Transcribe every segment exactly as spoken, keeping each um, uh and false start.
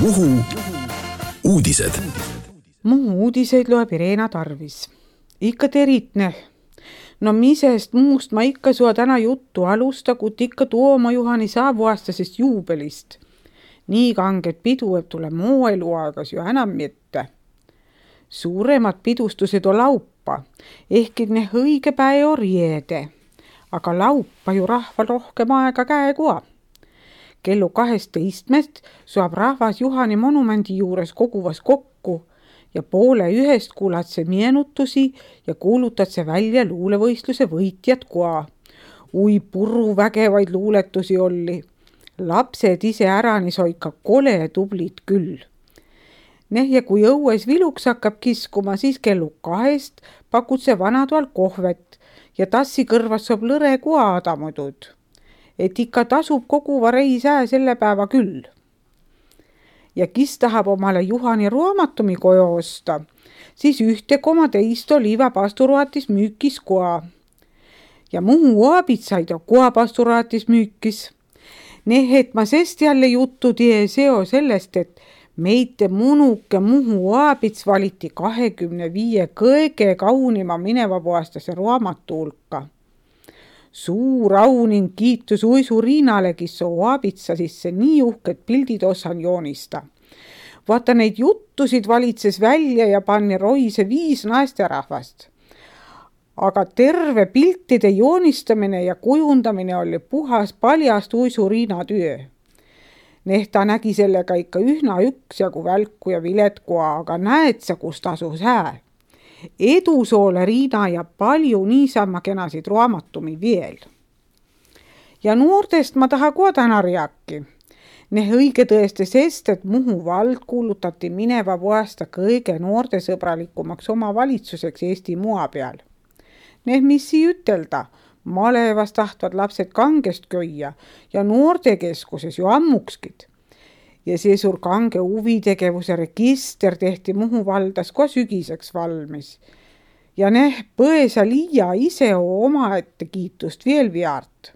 Muhu uudised. Muhu uudiseid loeb Irena Tarvis. Ikka teritne. No misest muust ma ikka sua täna juttu alusta, kut ikka Tuoma Juhani saavuaastasest juubelist. Nii kanget pidu, et tule muu eluaegas ju enam mitte. Suuremad pidustused on laupa, ehkki ne õige päev on riede. Aga laupa ju rahval rohkem aega käekua. Kellu kaheteistkümnest saab rahvas Juhani monumendi juures koguvas kokku ja poole ühest kuulad see meenutusi ja kuulutad see välja luulevõistluse võitjad koa. Ui purru vägevaid luuletusi oli. Lapsed ise äranis oika kole tublid küll. Neh ja kui õues viluks hakkab kiskuma, siis kellu kahest pakud see vanatoal kohvet ja tassi kõrvas saab lõre koa adamudud. Et ikka tasub koguva reis ää selle päeva küll. Ja kis tahab omale Juhani raamatumi koju osta, siis ühte koma teist oliva pasturatis müükis koa. Ja Muhu aabitsaid on koa pasturatis müükis. Neh, et ma sest jälle juttu tie seo sellest, et meite munuke Muhu aabits valiti kahekümne viie kõige kaunima minevapuastase raamatu hulka. Suur au ning kiitus Uisu Riinale, kes soo aabitsa sisse nii uhked pildid osan joonista. Vaata neid juttusid valitses välja ja panni roise viis naisterahvast. Aga terve piltide joonistamine ja kujundamine oli puhas paljast Uisu Riina työ. Neh ta nägi sellega ikka ühna üks jagu välku ja viletkoa, aga näed sa, kus tasus hää. Edu soole Riina ja palju niisama kenasid raamatumi veel. Ja noortest ma taha kohe täna rääki. Neh õige tõeste sest, et Muhu vald kuulutati mineva aasta kõige noortesõbralikumaks omavalitsuseks Eesti maa peal. Neh mis sii ütelda, malevas tahtvad lapsed kangest köia ja noortekeskuses ju ammukskid. Ja see suur kange huvitegevuse register tehti Muhu valdas kohe sügiseks valmis. Ja neh põesa liia ise oma ette kiitust veel viart.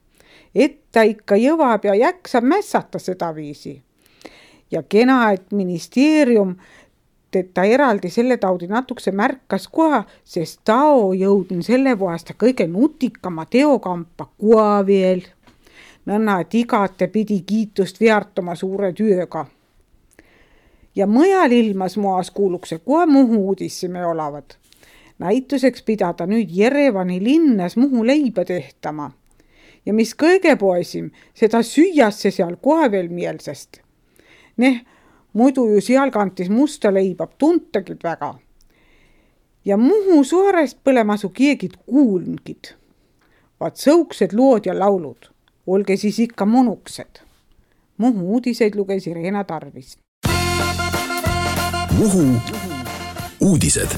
Et ta ikka jõvab ja jäksab mässata seda viisi. Ja kena, et ministeerium teda eraldi selle taudi natukse märkas koha, sest tao jõudin selle vuasta kõige nutikama teokampa koha veel. Nõnna, et igate pidi kiitust viartama suure tööga. Ja mõjal ilmas moas kuulukse kohe Muhu uudissime olavad. Näituseks pidada nüüd Jerevani linnas Muhu leiba tehtama. Ja mis kõige poesim, seda süüasse seal kohe veel meelsest. Neh, muidu ju seal kantis musta leibab tuntagid väga. Ja Muhu suarest põlemasu kiegid kuulngid. Vaat sõuksed lood ja laulud. Olge siis ikka monuksed. Muhu uudiseid luges Irena Tarvis. Muhu uudised.